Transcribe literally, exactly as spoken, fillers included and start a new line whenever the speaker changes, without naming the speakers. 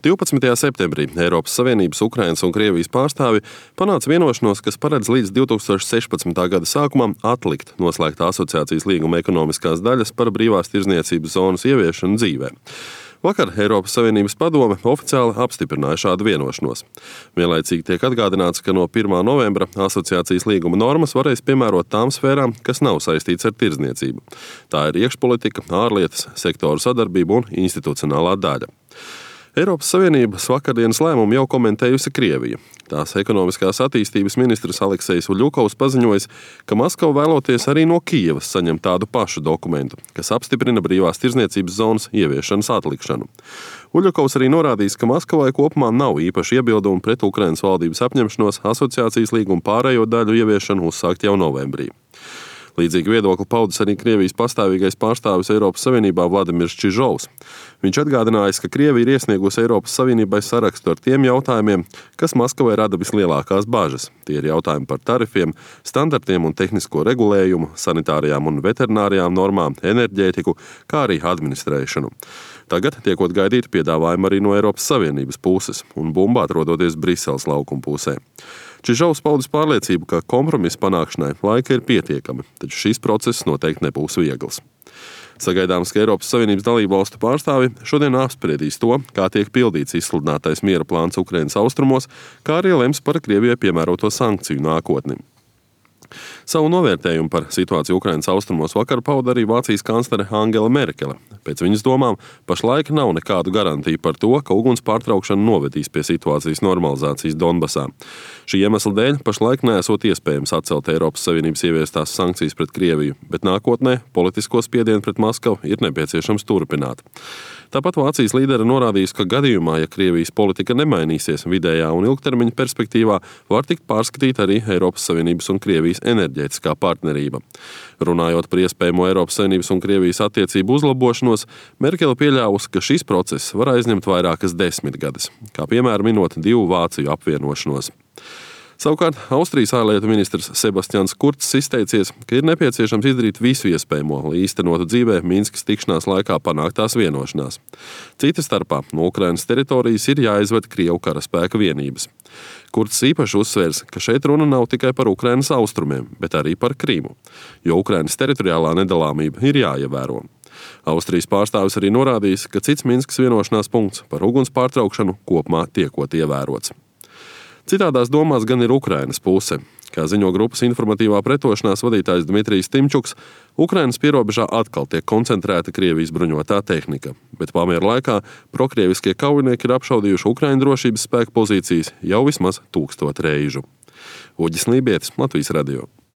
divpadsmitajā septembrī Eiropas Savienības, Ukrainas un Krievijas pārstāvi panāca vienošanos, kas paredz līdz divi tūkstoši sešpadsmitā gada sākumam atlikt noslēgtā asociācijas līguma ekonomiskās daļas par brīvās tirdzniecības zonas ieviešanu dzīvē. Vakar Eiropas Savienības padome oficiāli apstiprināja šādu vienošanos. Vienlaicīgi tiek atgādināts, ka no pirmā novembra asociācijas līguma normas varēs piemērot tām sfērām, kas nav saistīts ar tirdzniecību. Tā ir iekšpolitika, ārlietas, sektoru sadarbība un institucionālā daļa. Eiropas Savienības vakardienas lēmumu jau komentējusi Krievija. Tās ekonomiskās attīstības ministrs Aleksejs Uļukovs paziņojis, ka Maskava vēloties arī no Kijevas saņemt tādu pašu dokumentu, kas apstiprina brīvās tirdzniecības zonas ieviešanas atlikšanu. Uļukovs arī norādījis, ka Maskavai kopumā nav īpaši iebildumi pret Ukrainas valdības apņemšanos asociācijas līguma pārējo daļu ieviešanu uzsākt jau novembrī. Līdzīgi viedokli paudis arī Krievijas pastāvīgais pārstāvis Eiropas Savienībā Vladimirs Čižovs. Viņš atgādinājis, ka Krievija ir iesniegusi Eiropas Savienībai sarakstu ar tiem jautājumiem, kas Maskavai rada vislielākās bažas. Tie ir jautājumi par tarifiem, standartiem un tehnisko regulējumu, sanitārijām un veterinārijām normām, enerģētiku, kā arī administrēšanu. Tagad tiekot gaidīti piedāvājumi arī no Eiropas Savienības puses un bumba atrodoties Briseles laukuma pusē. Čižovs paudis pārliecību, ka kompromisa panākšanai laika ir pietiekami, taču šīs process noteikti nebūs viegls. Sagaidāms, ka Eiropas Savienības dalību valstu pārstāvi šodien apspriedīs to, kā tiek pildīts izsludinātais miera plāns Ukrainas austrumos, kā arī lems par Krievijai piemēroto sankciju nākotni. Savu novērtējumu par situāciju Ukrainas austrumos vakar pauda arī Vācijas kanclere Angela Merkele. Pēc viņas domām, pašlaik nav nekādu garantiju par to, ka uguns pārtraukšana novedīs pie situācijas normalizācijas Donbasā. Šī iemesla dēļ pašlaik neesot iespējams atcelt Eiropas Savienības ieviestās sankcijas pret Krieviju, bet nākotnē politisko spiedienu pret Maskavu ir nepieciešams turpināt. Tāpat Vācijas līdere norādījis, ka gadījumā, ja Krievijas politika nemainīsies vidējā un ilgtermiņa perspektīvā, var tikt pārskatīt arī Eiropas Savienības un Krievijas enerģētiskā partnerība. Runājot par iespējamo Eiropas Savienības un Krievijas attiecību uzlabošanos, Merkele pieļāvusi, ka šis process var aizņemt vairākas desmitgades, kā piemēram minot divu Vāciju apvienošanos. Savukārt, Austrijas ārlietu ministrs Sebastians Kurcs izteicies, ka ir nepieciešams izdarīt visu iespējamo, lai īstenotu dzīvē Minskas tikšanās laikā panāktās vienošanās. Cita starpā no Ukrainas teritorijas ir jāizved Krievu karaspēka vienības. Kurcs īpaši uzsvērs, ka šeit runa nav tikai par Ukrainas austrumiem, bet arī par Krīmu, jo Ukrainas teritoriālā nedalāmība ir jāievēro. Austrijas pārstāvis arī norādījis, ka cits Minskas vienošanās punkts par uguns pārtraukšanu kopumā tiekot ievērots. Citādās domās gan ir Ukrainas puse. Kā ziņo grupas informatīvā pretošanās vadītājs Dmitrijs Timčuks, Ukrainas pierobežā atkal tiek koncentrēta Krievijas bruņotā tehnika, bet pamiera laikā prokrieviskie kaujinieki ir apšaudījuši Ukraiņu drošības spēku pozīcijas jau vismaz tūkstot reižu. Uģis Lībietis, Latvijas radio.